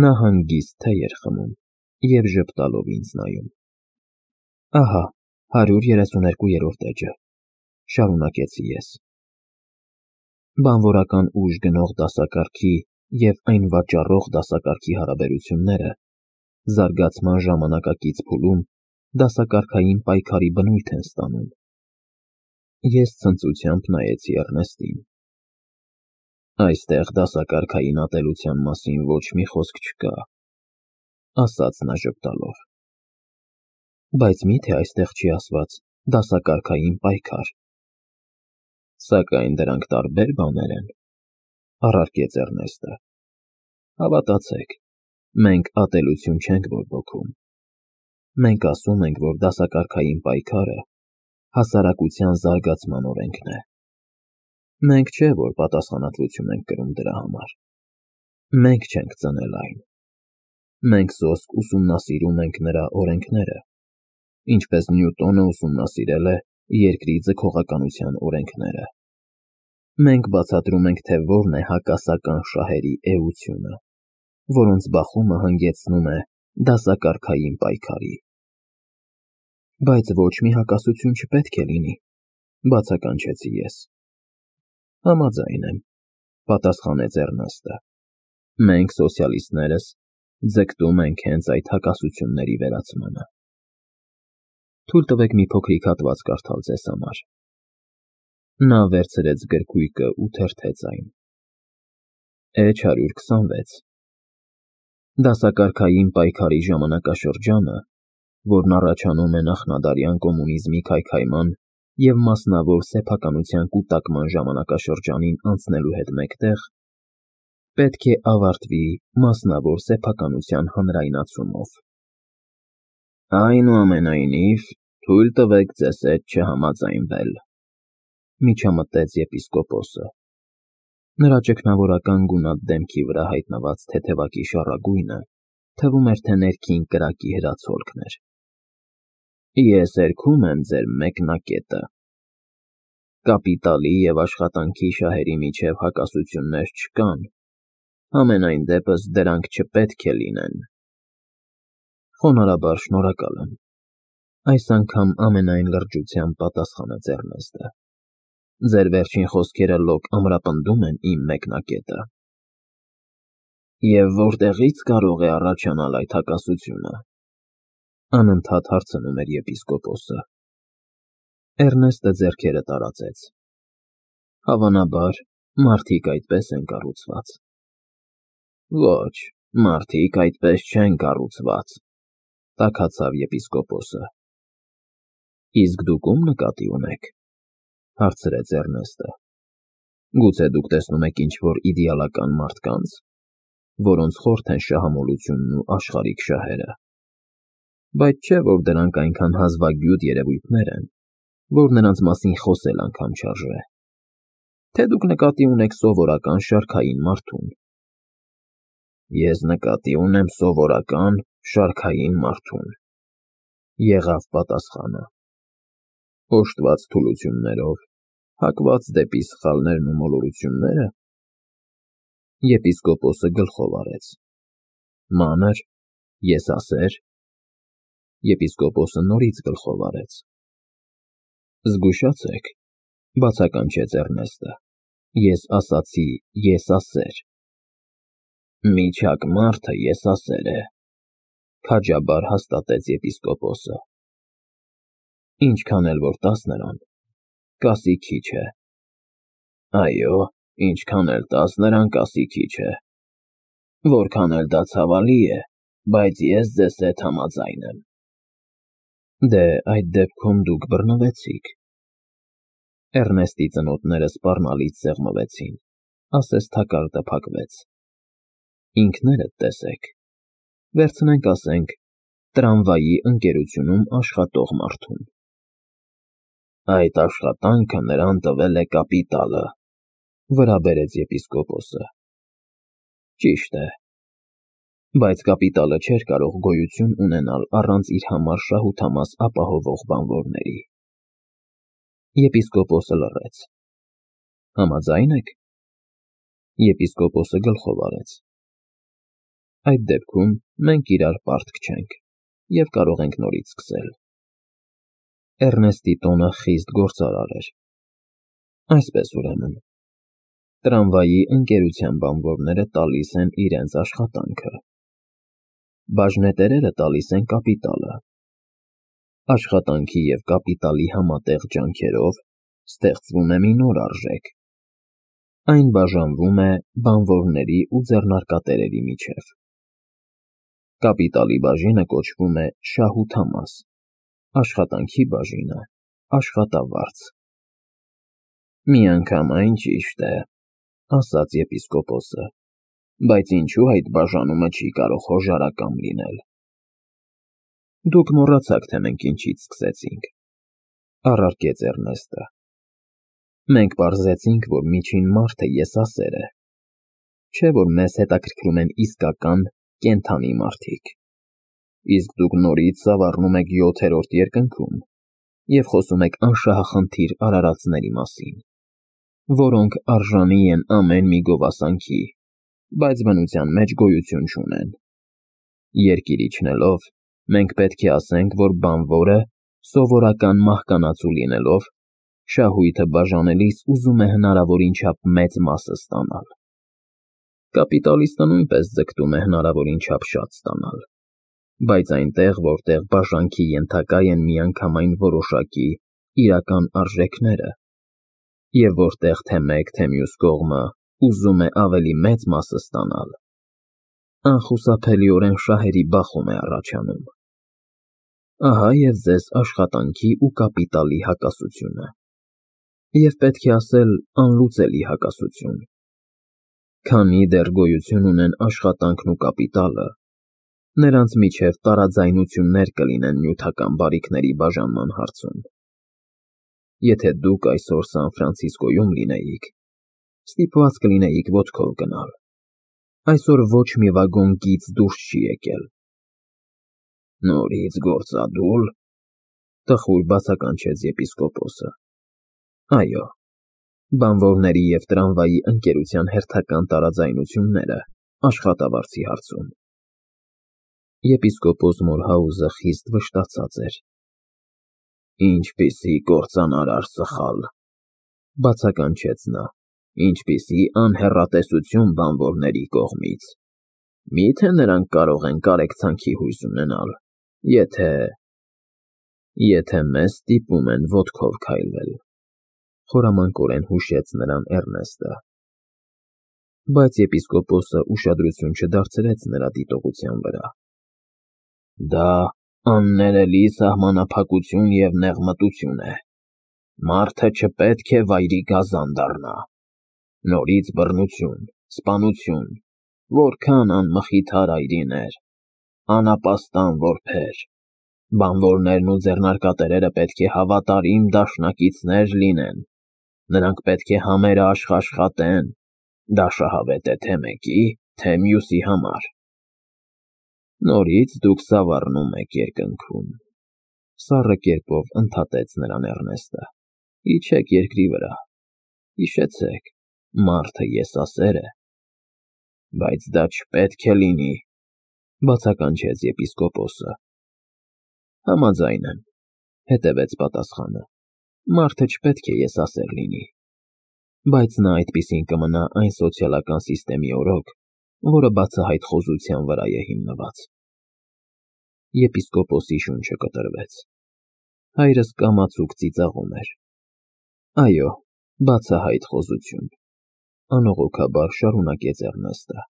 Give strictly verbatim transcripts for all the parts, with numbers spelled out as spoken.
Նա հանգիստ թե էր խմում և ժպտալով ինձ նայում։ Ահա, հարյուր երեսուներկուերորդ էջը, շարունակեցի ես։ Բանվորական ուժ գնող դասակարգի և այն վաճառող դասակարգի հարաբերությունները զարգացման ժամանակակից փուլում դասակարգային պայքարի բնույթ են ստանում։ Ես ցնծությամբ նայեցի Էռնեստին։ Այստեղ դասակարգային ատելության մասին ոչ մի խոսք չկա, ասաց նա ժպտալով։ Բայց մի՞թե այստեղ չի ասված դասակարգային պայքար։ Սակայն դրանք տարբեր բաներ են, առարկեց Էռնեստը։ Հավատացեք, մենք ատելություն չենք բորբոքում։ Մենք ասում ենք, որ դասակարգային պայքարը հասարակության զարգացման օրենքն է։ Մենք չէ, որ պատասխանատվություն ենք կրում դրա համար։ Մենք չենք ծնել այն։ Մենք սոսկ ուսումնասիրում ենք նրա օրենքները, ինչպես Նյուտոնը ուսումնասիրել է երկրի ձգողականության օրենքները։ Մենք բացատրում ենք, թե որն է հակասական շահերի էությունը, որոնց բախումը հանգեցնում է դասակարգային պայքարի։ Բայց ոչ մի հակասություն չպետք է լինի, բացականչեցի ես։ Համաձայն եմ, պատասխանեց Էռնեստը։ Մենք սոցիալիստներս ձգտում ենք հենց այդ հակասությունների վերացմանը։ Թույլ տվեք մի փոքրիկ հատված կարդալ ձեզ համար։ Նա վերցրեց գրքույկը ու թերթեց այն։ Էջ հարյուր քսանվեց։ Դասակարգային պայքարի ժամանակաշրջանը, որն առաջանում է նախնադարյան կոմունիզմի քայքայման և մասնավոր սեփականության կուտակման ժամանակաշրջանին անցնելու հետ մեկտեղ, պետք է ավարտվի մասնավոր սեփականության հանրայնացումով։ Այնուամենայնիվ, թույլ տվեք ձեզ հետ չհամաձայնվել, միջամտեց եպիսկոպոսը։ Նրա ճգնավորական գունատ դեմքի վրա հայտնված թեթևակի շառագույնը թվում էր, թե ներքին կրակի հրացոլքն էր։ Ես հերքում եմ ձեր մեկնակետը։ Կապիտալի և աշխատանքի շահերի միջև հակասություններ չկան, համենայն դեպս դրանք չպետք է լինեն։ Խոնարհաբար շնորհակալ եմ, այս անգամ ամենայն լրջությամբ պատասխանեց Էռնեստը։ Ձեր վերջին խոսքերը լոկ ամրապնդում են իմ մեկնակետը։ Եվ որտեղի՞ց կարող է առաջանալ այդ հակասությունը, անընդհատ հարցնում էր եպիսկոպոսը։ Էռնեստը ձեռքերը տարածեց։ Հավանաբար, մարդիկ այդպես են կառուցված։ Ոչ, մարդիկ այդպես չեն կառուցված, տաքացավ եպիսկոպոսը։ Իսկ դուք ում նկատի ունեք, հարցրեց Էռնեստը։ Գուցե դուք տեսնում եք ինչ-որ իդեալական մարդկանց, որոնց խորթ են շահամոլությունն ու աշխարհիկ շահերը։ Բայց չէ, որ դրանք այնքան հազվագյուտ երևույթներ են, որ նրանց մասին խոսել անգամ չարժե։ Թե դուք նկատի ունեք սովորական շարքային մարդուն։ Ես նկատի ունեմ սովորական շարքային մարդուն, եղավ պատասխանը։ Օժտված թուլություններով, հակված դեպի սխալներն ու մոլորություննե՞րը։ Եպիսկոպոսը գլխով արեց։ Մանր, եսասեր։ Եպիսկոպոսը նորից գլխով արեց։ Զգուշացեք, բացականչեց Էռնեստը, ես ասացի եսասեր։ Միջակ մարդը եսասեր է, քաջաբար հաստատեց եպիսկոպոսը։ Ինչքան էլ որ տաս նրան, կասի քիչ է։ Այո, ինչքան էլ տաս նրան, կասի քիչ է։ Որքան էլ դա ցավալի է, բայց ես ձեզ հետ համաձայն եմ։ Դե, այդ դեպքում դուք բռնվեցիք։ Էռնեստի ծնոտները սպառնալից սեղմվեցին, ասես թակարդը փակվեց։ Ինքներդ տեսեք։ Վերցնենք, ասենք, տրամվայի ընկերությունում աշխատող մարդուն։ Այդ աշխատանքը նրան տվել է կապիտալը, վրա բերեց եպիսկոպոսը։ Ճիշտ է։ Բայց կապիտալը չէր կարող գոյություն ունենալ առանց իր համար շահութամաս ապահովող բանվորների։ Եպիսկոպոսը լռեց։ Համաձայն եք։ Եպիսկոպոսը գլխով արեց։ Այդ դեպքում մենք իրար պարտք չենք և կարող ենք նորից սկսել։ Էռնեստի տոնը խիստ գործարար էր։ Այսպես ուրեմն, տրամվայի ընկերության բանվորները տալիս են իրենց աշխատանքը, բաժնետերերը տալիս են կապիտալը։ Աշխատանքի և կապիտալի համատեղ ջանքերով ստեղծվում է մի նոր արժեք։ Այն բաժանվում է բանվորների ու ձեռնարկատերերի միջև։ Կապիտալի բաժինը կոչվում է շահութամաս, աշխատանքի բաժինը՝ աշխատավարձ։ Միանգամայն ճիշտ է, ասաց եպիսկոպոսը, բայց ինչու այդ բաժանումը չի կարող հոժարակամ լինել։ Դուք մոռացաք, թե մենք ինչից սկսեցինք, առարկեց Էռնեստը։ Մենք պարզեցինք, որ միջին մարդը եսասեր է, չէ՞ որ մեզ հետաքրքրում են իսկական կենդանի մարդիկ, իսկ դուք նորից սավառնում եք յոթերորդ երկնքում և խոսում եք անշահախնդիր արարածների մասին, որոնք արժանի են ամեն մի գովասանքի, բայց բնության մեջ գոյություն չունեն։ Երկիր իջնելով, մենք պետք է ասենք, որ բանվորը, սովորական մահկանացու լինելով, շահույթը բաժանելիս ուզում է հնարավորին չափ մեծ մասը ստանալ։ Կապիտալիստը նույնպես ձգտում է հնարավորին չափ շատ ստանալ, բայց այնտեղ, որտեղ բաժանքի ենթակա են միանգամայն որոշակի իրական արժեքները, և որտեղ թե մեկ, թե մյուս կողմը ուզում է ավելի մեծ մասը ստանալ, անխուսափելիորեն շահերի բախում է առաջանում։ Ահա և ձեզ աշխատանքի ու կապիտալի հակասությունը, և պետք է ասել անլուծելի հակասություն։ Քանի դեռ գոյություն ունեն աշխատանքն ու կապիտալը, նրանց միջև տարաձայնություններ կլինեն նյութական բարիքների բաժանման հարցում։ Եթե դուք այսօր Սան Ֆրանցիսկոյում լինեիք, ստիպված կլինեիք ոտքով գնալ։ Այսօր ոչ մի վագոն գիծ դուրս չի եկել։ Նորից գործադու՞լ, տխուր բացականչեց եպիսկոպոսը։ Այո, բանվորների և տրամվայի ընկերության հերթական տարաձայնությունները աշխատավարձի հարցում։ Եպիսկոպոս Մորհաուզը խիստ վշտացած էր։ Ինչպիսի կործանարար սխալ, բացականչեց նա, ինչպիսի անհեռատեսություն բանվորների կողմից։ Մի՞թե նրանք կարող են կարեկցանքի հույս ունենալ, եթե… եթե մեզ ստիպում են ոտքով քայլել, խորամանկորեն հուշեց նրան Էռնեստը։ Բայց եպիսկոպոսը ուշադրություն չդարձրեց նրա դիտողության վրա։ Դա աններելի սահմանափակություն և նեղմտություն է։ Մարդը չպետք է վայրի գազան դառնա։ Նորից բռնություն, սպանություն, որքան անմխիթար այրիներ, անապաստան որբեր։ Բանվորներն ու ձեռնարկատերերը պետք է հավատարիմ դաշնակիցներ լինեն, նրանք պետք է համերաշխ աշխատեն, դա շահավետ է թե մեկի, թե մյուսի համար։ Նորից դուք սավառնում եք երկնքում, սառը կերպով ընդհատեց նրան Էռնեստը։ Իջեք երկրի վրա, հիշեցեք, մարդը եսասեր է։ Բայց դա չպետք է լինի, բացականչեց եպիսկոպոսը։ Համաձայն եմ, հետևեց պատասխանը, մարդը չպետք է եսասեր լինի, բայց նա այդպիսին կմնա այն սոցիալական սիստեմի օրոք, որը բացահայտ խոզության վրա է հիմնված։ Եպիսկոպոսի շունչը կտրվեց։ Հայրս կամացուկ ծիծաղում էր։ Այո, բացահայտ խոզություն, անողոքաբար շարունակեց Էռնեստը։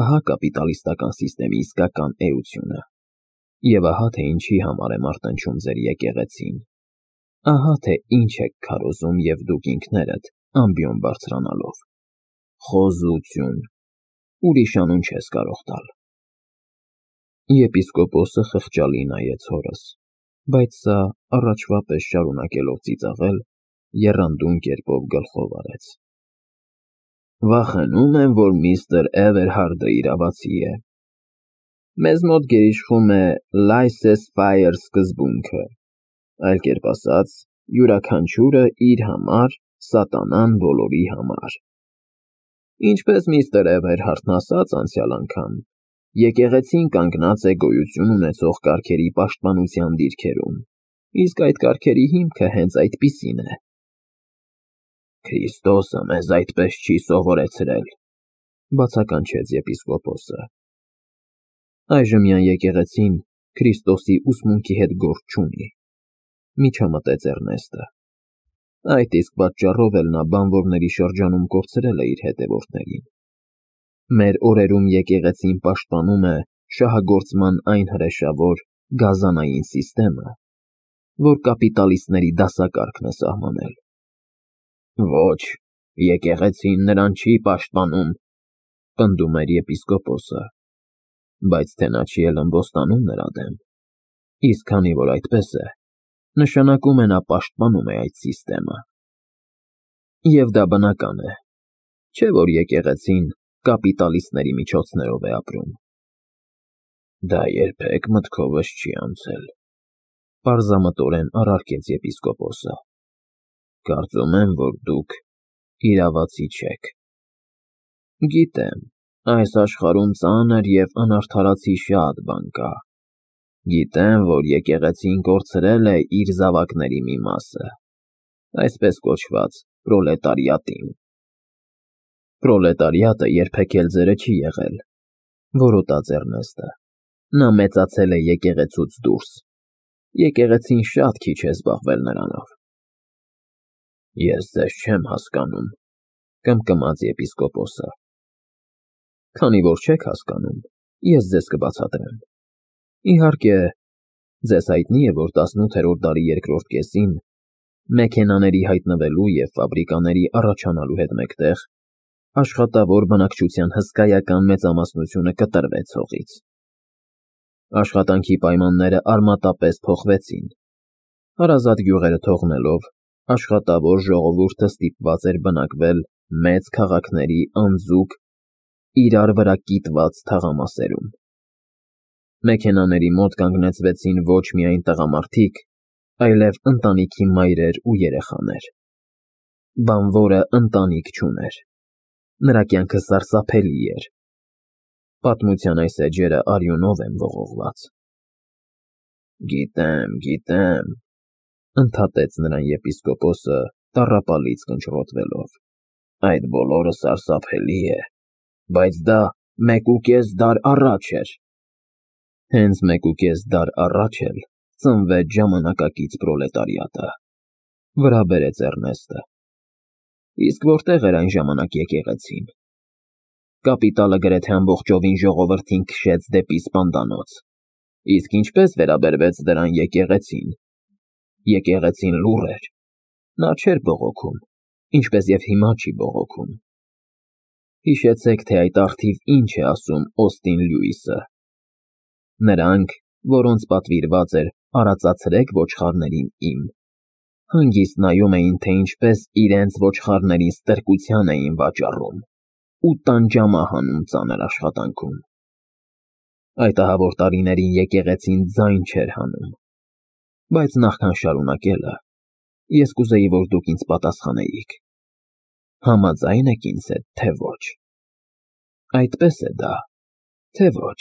Ահա կապիտալիստական սիստեմի իսկական էությունը։ Եվ ահա թե ինչի համար է մարտնչում ձեր եկեղեցին։ Ահա թե ինչ եք քարոզում և դուք ինքներդ ամբիոն բարձրանալով։ Խոզություն, ուրիշ անուն չես կարող տալ։ Եպիսկոպոսը խղճալի նայեց հորս, բայց սա, առաջվա պես շարունակելով ծիծաղել, եռանդուն կերպով գլխով արեց։ Վախենում եմ, որ միստր Էվերհարդը իրավացի է։ Մեզ մոտ գերիշխում է laissez-faire սկզբունքը, այլ կերպ ասած, յուրաքանչյուրը իր համար, սատանան բոլորի համար։ Ինչպես միստր Էվերհարդն ասաց անցյալ անգամ, Եկեղեցին կանգնած է գոյություն ունեցող կարգերի պաշտպանության դիրքերում, իսկ այդ կարգերի հիմքը հենց այդպիսին է։ Քրիստոսը մեզ այդպես չի սովորեցրել, բացականչեց եպիսկոպոսը։ Այժմյան եկեղեցին Քրիստոսի ուսմունքի հետ գործ չունի, միջամտեց Էռնեստը։ Այդ իսկ պատճառով էլ նա բանվորների շրջանում կորցրել է իր հետևորդներին։ Մեր օրերում եկեղեցին պաշտպանում է շահագործման այն հրեշավոր գազանային սիստեմը, որ կապիտալիստների դասակարգն է սահմանել։ Ոչ, եկեղեցին նրան չի պաշտպանում, պնդում էր եպիսկոպոսը, բայց թե նա չի էլ ըմբոստանում նրա դեմ, իսկ քանի որ այդպես է, նշանակում է նա պաշտպանում է այդ սիստեմը։ Եվ դա բնական է, չէ՞ որ եկեղեցին կապիտալիստների միջոցներով է ապրում։ Դա երբեք մտքովս չի անցել, պարզամտորեն առարկեց եպիսկոպոսը։ Կարծում եմ, որ դուք իրավացի չեք։ Գիտեմ, այս աշխարհում ծանր և անարդարացի շատ բան կա։ Գիտեմ, որ եկեղեցին կորցրել է իր զավակների մի մասը, այսպես կոչված պրոլետարիատին։ Պրոլետարիատը երբեք էլ ձերը չի եղել, որոտաց Էռնեստը։ Նա մեծացել է եկեղեցուց դուրս։ Եկեղեցին շատ քիչ է զբաղվել նրանով։ Ես ձեզ չեմ հասկանում, կմկմաց եպիսկոպոսը։ Քանի որ չեք հասկանում, ես ձեզ կբացատրեմ։ Իհարկե, ձեզ հայտնի է, որ տասնութերորդ դարի երկրորդ կեսին, մեքենաների հայտնվելու և ֆաբրիկաների առաջանալու հետ մեկտեղ, աշխատավոր բնակչության հսկայական մեծամասնությունը կտրվեց հողից։ Աշխատանքի պայմանները արմատապես փոխվեցին։ Հարազատ գյուղերը թողնելով, աշխատավոր ժողովուրդը ստիպված էր բնակվել մեծ քաղաքների անձուկ, իրար վրա կիտված թաղամասերում։ Մեքենաների մոտ կանգնեցվեցին ոչ միայն տղամարդիկ, այլև ընտանիքի մայրեր ու երեխաներ։ Բանվորը ընտանիք չուներ։ Նրա կյանքը սարսափելի էր։ Պատմության այս էջերը արյունով են ողողված։ Գիտեմ, գիտեմ, ընդհատեց նրան եպիսկոպոսը տառապալից կնճռոտվելով։ Այդ բոլորը սարսափելի է, բայց դա մեկուկես դար առաջ էր։ Հենց մեկուկես դար առաջ էլ ծնվեց ժամանակակից պրոլետարիատը, վրա բերեց Էռնեստը։ Իսկ որտեղ էր այն ժամանակ եկեղեցին։ Կապիտալը գրեթե ամբողջովին ժողովրդին քշեց դեպի սպանդանոց, իսկ ինչպես վերաբերվեց դրան եկեղեցին։ Եկեղեցին լուռ էր, նա չէր բողոքում, ինչպես և հիմա չի բողոքում։ Հիշեցեք, թե այդ առթիվ ինչ է ասում Օստին Լյուիսը։ Նրանք, որոնց պատվիրված էր արածացրեք ոչխարներին իմ, հանգիստ նայում էին, թե ինչպես իրենց ոչխարներին ստրկության էին վաճառում ու տանջամահ անում ծանր աշխատանքում։ Այդ ահավոր տարիներին եկեղեցին ձայն չէր հանում, բայց նախքան շարունակելը, ես կուզեի, որ դուք ինձ պատասխանեիք. համաձա՞յն եք ինձ հետ, թե ոչ։ Այդպես է դա, թե ոչ։